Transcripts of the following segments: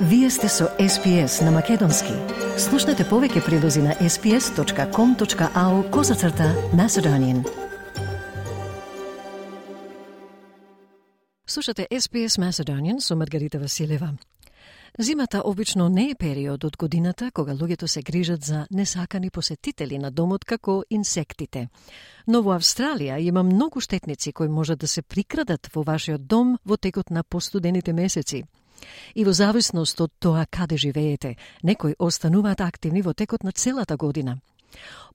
Вие сте со SPS на Македонски. Слушнете повеќе прилози на sps.com.au/Macedonian. Слушате SPS Macedonian со Маргарита Василева. Зимата обично не е период од годината кога луѓето се грижат за несакани посетители на домот како инсектите. Но во Австралија има многу штетници кои можат да се прикрадат во вашиот дом во текот на постудените месеци. И во зависност од тоа каде живеете, некои остануваат активни во текот на целата година.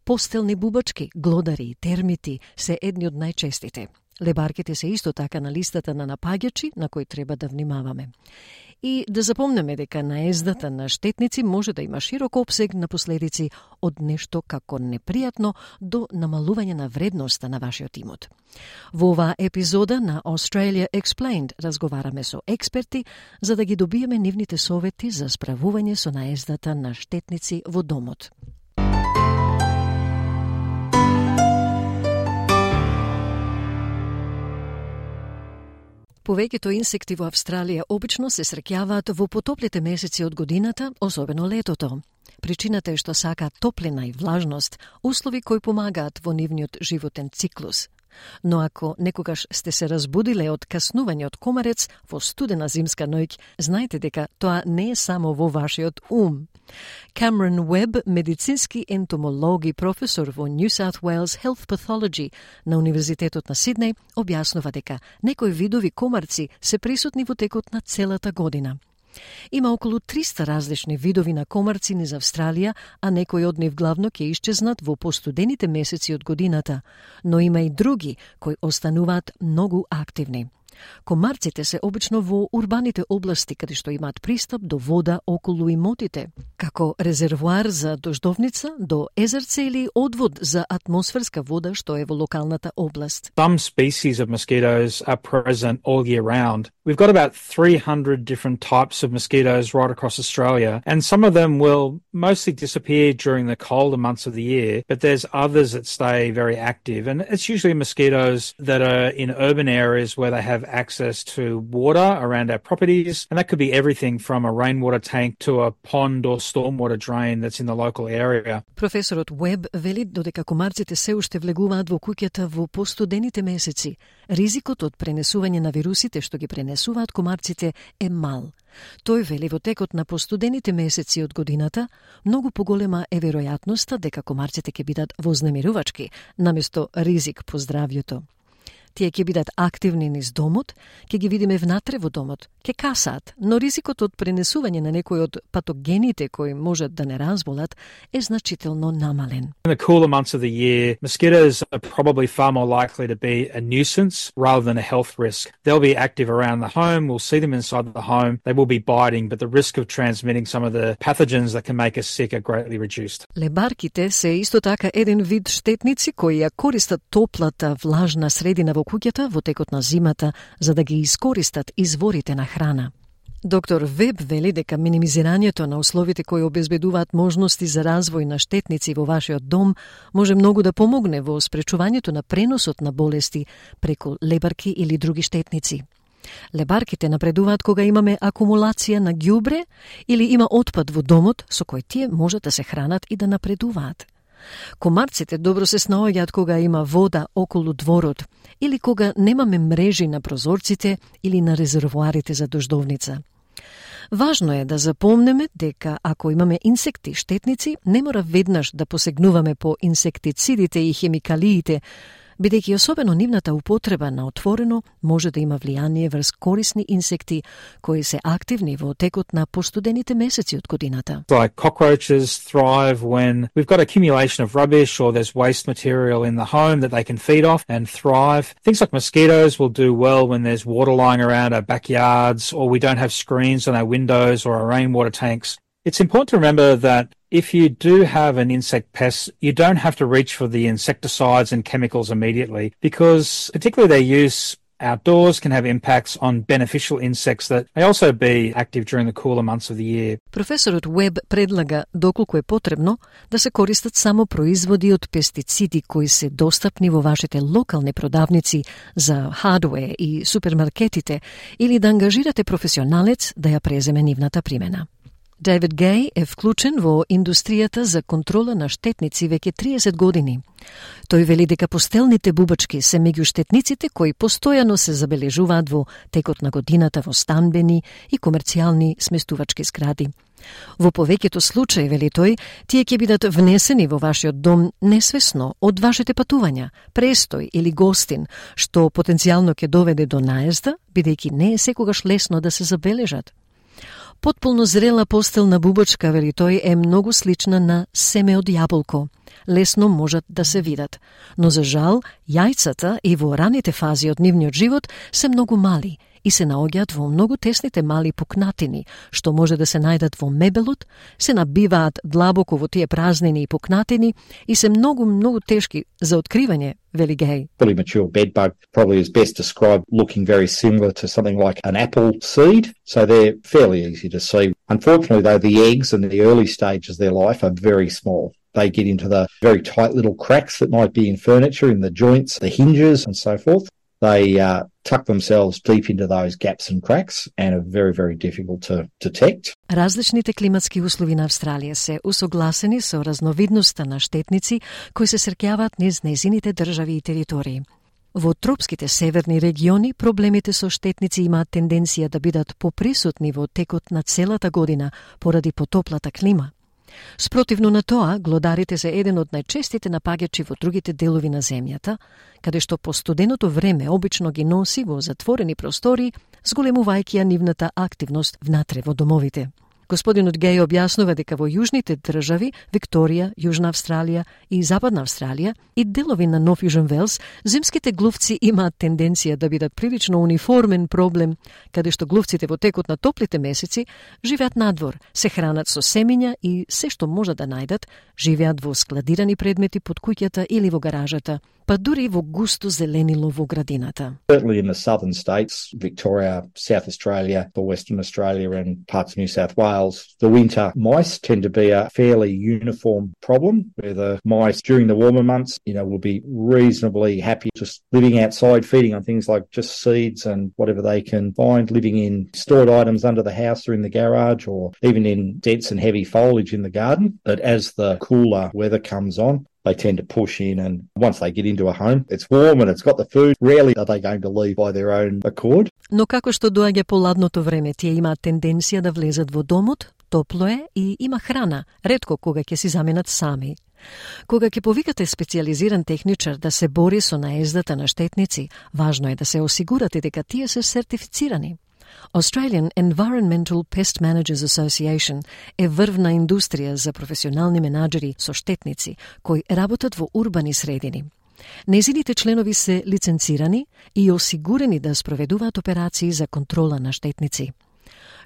Постелни бубачки, глодари, термити се едни од најчестите. Лебарките се исто така на листата на напаѓачи на кои треба да внимаваме. И да запомнеме дека наездата на штетници може да има широк опсег на последици од нешто како непријатно до намалување на вредноста на вашиот имот. Во оваа епизода на Australia Explained разговараме со експерти за да ги добиеме нивните совети за справување со наездата на штетници во домот. Повеќето инсекти во Австралија обично се среќаваат во потоплите месеци од годината, особено летото. Причината е што сакаат топлина и влажност, услови кои помагаат во нивниот животен циклус. Но ако некогаш сте се разбудиле од каснување од комарец во студена зимска ноќ, знаете дека тоа не е само во вашиот ум. Cameron Webb, медицински ентомолог и професор во New South Wales Health Pathology на Универзитетот на Сиднеј, објаснува дека некои видови комарци се присутни во текот на целата година. Има околу 300 различни видови на комарци низ Австралија, а некои од нив главно ќе исчезнат во постудените месеци од годината, но има и други кои остануваат многу активни. Комарците се обично во урбаните области каде што имаат пристап до вода околу имотите, како резервоар за дождовница, до езерце или одвод за атмосферска вода што е во локалната област. Some species of mosquitoes are present all year round. We've got about 300 different types of mosquitoes right across Australia, and some of them will mostly disappear during the colder months of the year, but there's others that stay very active, and it's usually mosquitoes that are in urban areas where they have access to water around our properties, and that could be everything from a rainwater tank to a pond or stormwater drain that's in the local area. Професорот Уеб вели додека комарците се уште влегуваат во куќата во постудените месеци, ризикот од пренесување на вирусите што ги пренесуваат комарците е мал. Тој вели во текот на постудените месеци од годината, многу поголема е веројатноста дека комарците ќе бидат вознемирувачки, наместо ризик по здравјето. Тие ќе бидат активни низ домот, ќе ги видиме внатре во домот, ќе касаат, но ризикот од пренесување на некои од патогените кои можат да не разболат е значително намален. In the cooler months of the year, mosquitoes are probably far more likely to be a nuisance rather than a health risk. They'll be active around the home, we'll see them inside the home, they will be biting, but the risk of transmitting some of the pathogens that can make us sick are greatly reduced. Лебарките се исто така еден вид штетници кои ја користат топлата, влажна средина во куќата во текот на зимата за да ги искористат изворите на храна. Доктор Веб вели дека минимизирањето на условите кои обезбедуваат можности за развој на штетници во вашиот дом може многу да помогне во спречувањето на преносот на болести преку лебарки или други штетници. Лебарките напредуваат кога имаме акумулација на ѓубре или има отпад во домот со кој тие можат да се хранат и да напредуваат. Комарците добро се снаоѓаат кога има вода околу дворот или кога немаме мрежи на прозорците или на резервоарите за дождовница. Важно е да запомнеме дека ако имаме инсекти штетници, не мора веднаш да посегнуваме по инсектицидите и хемикалиите, бидејќи особено нивната употреба на отворено може да има влијание врз корисни инсекти кои се активни во текот на постудените месеци од годината. Like cockroaches thrive when we've got accumulation of rubbish or there's waste material in the home that they can feed off and thrive. Things like mosquitoes will do well when there's water lying around our backyards or we don't have screens on our windows or our rainwater tanks. It's important to remember that if you do have an insect pest, you don't have to reach for the insecticides and chemicals immediately because particularly their use outdoors can have impacts on beneficial insects that may also be active during the cooler months of the year. Професорот Уеб предлага доколку е потребно да се користат само производи од пестициди кои се достапни во вашите локални продавници за хардвер и супермаркетите или да ангажирате професионалец да ја преземе нивната примена. Дейвид Гей е вклучен во индустријата за контрола на штетници веќе 30 години. Тој вели дека постелните бубачки се меѓу штетниците кои постојано се забележуваат во текот на годината во станбени и комерцијални сместувачки згради. Во повеќето случаи, вели тој, тие ќе бидат внесени во вашиот дом несвесно од вашите патувања, престој или гостин, што потенцијално ќе доведе до наезда, бидејќи не е секогаш лесно да се забележат. Потполно зрела постелна бубачка, вели тој, е многу слична на семе од јаболко. Лесно можат да се видат, но за жал, јајцата и во раните фази од нивниот живот се многу мали и се наоѓаат во многу тесните мали пукнатини, што може да се најдат во мебелот, се набиваат длабоко во тие празнини и пукнатини и се многу тешки за откривање, вели Гей. Fully mature bedbug probably is best described looking very similar to something like an apple seed, so they're fairly easy to see. Unfortunately, though, the eggs in the early stages of their life are very small. They get into the very tight little cracks that might be in furniture, in the joints, the hinges and so forth. They tuck themselves deep into those gaps and cracks and are very difficult to detect. Различните климатски услови на Австралија се усогласени со разновидноста на штетници кои се среќаваат низ нејзините држави и територии. Во тропските северни региони проблемите со штетници имаат тенденција да бидат поприсутни во текот на целата година поради потоплата клима. Спротивно на тоа, глодарите се еден од најчестите напаѓачи во другите делови на земјата, каде што по студеното време обично ги носи во затворени простори, зголемувајќи ја нивната активност внатре во домовите. Господинот Гей објаснува дека во јужните држави, Викторија, Јужна Австралија и Западна Австралија и делови на Нов Јужен Велс, зимските глувци имаат тенденција да бидат прилично униформен проблем, каде што глувците во текот на топлите месеци живеат надвор, се хранат со семиња и се што можат да најдат, живеат во складирани предмети под куќата или во гаражата, па дури во густо зеленило во градината. Certainly in the southern states, Victoria, South Australia, or Western Australia and parts of New South Wales, the winter mice tend to be a fairly uniform problem, where the mice during the warmer months, will be reasonably happy just living outside, feeding on things like just seeds and whatever they can find, living in stored items under the house or in the garage, or even in dense and heavy foliage in the garden. But as the cooler weather comes on, they tend to push in, and once they get into a home, it's warm and it's got the food. Rarely are they going to leave by their own accord. Но како што доаѓа поладното време, тие имаат тенденција да влезат во домот, топло е и има храна, ретко кога ќе си заменат сами. Кога ќе повикате специјализиран техничар да се бори со наездата на штетници, важно е да се осигурате дека тие се сертифицирани. Australian Environmental Pest Managers Association е врвна индустрија за професионални менаџери со штетници кои работат во урбани средини. Нејзините членови се лиценцирани и осигурени да спроведуваат операции за контрола на штетници.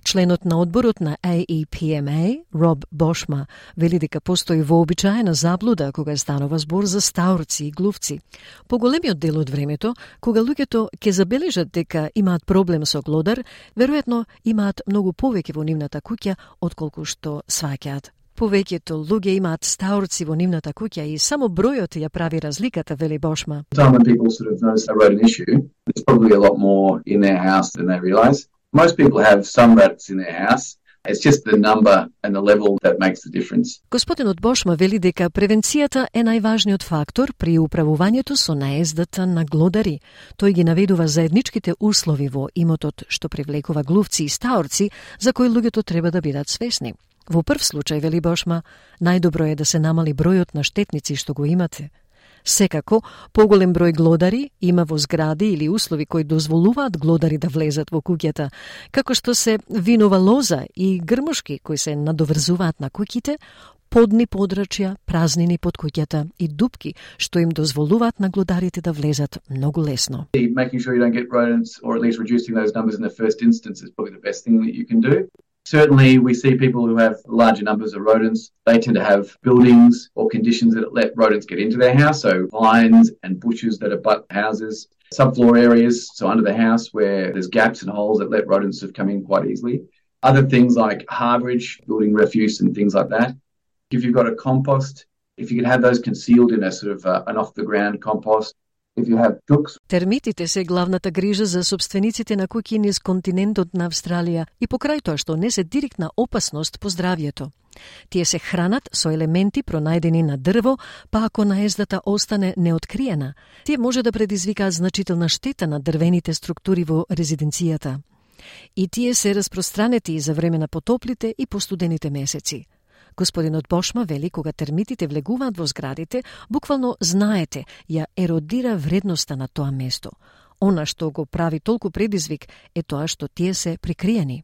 Членот на одборот на AEPMA, Роб Бошма, вели дека постои вообичаена заблуда кога станува збор за стаурци и глувци. Поголемиот дел од времето, кога луѓето ќе забележат дека имаат проблем со глодар, веројатно имаат многу повеќе во нивната куќа отколку што сваќаат. Повеќето луѓе имаат стаурци во нивната куќа и само бројот ја прави разликата, вели Бошма. When people sort of notice a rodent issue, there's probably a lot more in their house than they realise. Most people have some rats in their house. It's just the number and the level that makes the difference. Господинот Бошма вели дека превенцијата е најважниот фактор при управувањето со наездата на глодари. Тој ги наведува заедничките услови во имотот што привлекува глувци и стаорци за кои луѓето треба да бидат свесни. Во прв случај, вели Бошма, најдобро е да се намали бројот на штетници што го имате. Секако, поголем број глодари има во згради или услови кои дозволуваат глодари да влезат во куќата, како што се винова лоза и грмушки кои се надоврзуваат на куќите, подни подрачја, празнини под куќата и дупки што им дозволуваат на глодарите да влезат многу лесно. Making sure you don't get rodents, or at least reducing those numbers in the first instance, is probably the best thing that you can do. Certainly, we see people who have larger numbers of rodents. They tend to have buildings or conditions that let rodents get into their house, so vines and bushes that abut houses, subfloor areas, so under the house where there's gaps and holes that let rodents have come in quite easily. Other things like harborage, building refuse and things like that. If you've got a compost, if you can have those concealed in a sort of an off-the-ground compost. If you have chooks. Термитите се главната грижа за собствениците на куќи низ континентот на Австралија и покрај тоа што не се директна опасност по здравјето. Тие се хранат со елементи пронајдени на дрво, па ако наездата остане неоткриена, тие може да предизвикаат значителна штета на дрвените структури во резиденцијата. И тие се распространети за време на потоплите и постудените месеци. Господинот Бошма вели, кога термитите влегуваат во зградите, буквално знаете, ја еродира вредноста на тоа место. Она што го прави толку предизвик е тоа што тие се прикриени.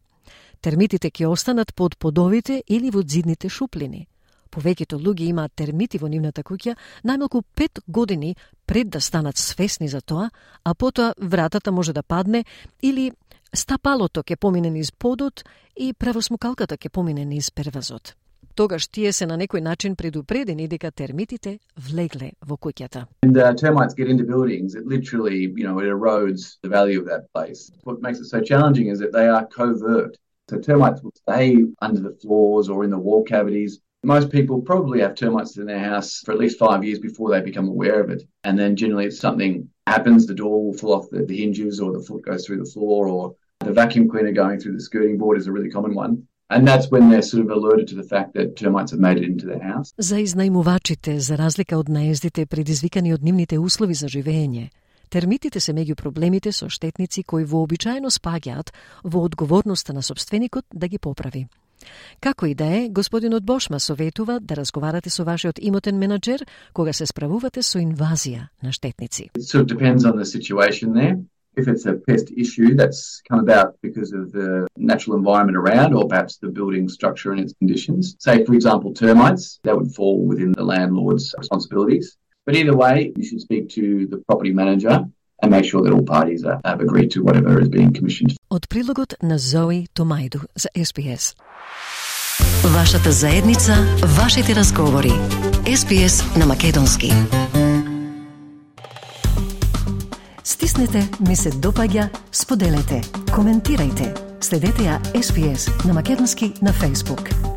Термитите ќе останат под подовите или во зидните шуплини. Повеќето луѓе имаат термити во нивната куќа најмалку 5 години пред да станат свесни за тоа, а потоа вратата може да падне или стапалото ќе помине низ подот и правосмукалката ќе помине низ первазот. Тогаш тие се на некој начин предупредени дека термитите влегле во куќата. And termites get into buildings, it literally, it erodes the value of that place. What makes it so challenging is that they are covert. So termites will stay under the floors or in the wall cavities. Most people probably have termites in their house for at least 5 years before they become aware of it. And then generally if something happens, the door will fall off the hinges or the foot goes through the floor or the vacuum cleaner going through the skirting board is a really common one. And that's when they're sort of alerted to the fact that termites have made it into their house. За изнајмувачите, за разлика од наездите предизвикани од нивните услови за живење, термитите се меѓу проблемите со штетници кои вообичаено спаѓаат во одговорноста на собственикот да ги поправи. Како и да е, господинот Бошма советува да разговарате со вашиот имотен менаџер кога се справувате со инвазија на штетници. It sort of depends on the situation there. If it's a pest issue that's come about because of the natural environment around or perhaps the building structure and its conditions, say, for example, termites, that would fall within the landlord's responsibilities. But either way, you should speak to the property manager and make sure that all parties have agreed to whatever is being commissioned. Од прилогот на Зои Томајду за SBS. Вашата заедница, вашите разговори. SBS на македонски. Стиснете, ми се допаѓа, споделете, коментирајте. Следете ја SBS на македонски на Facebook.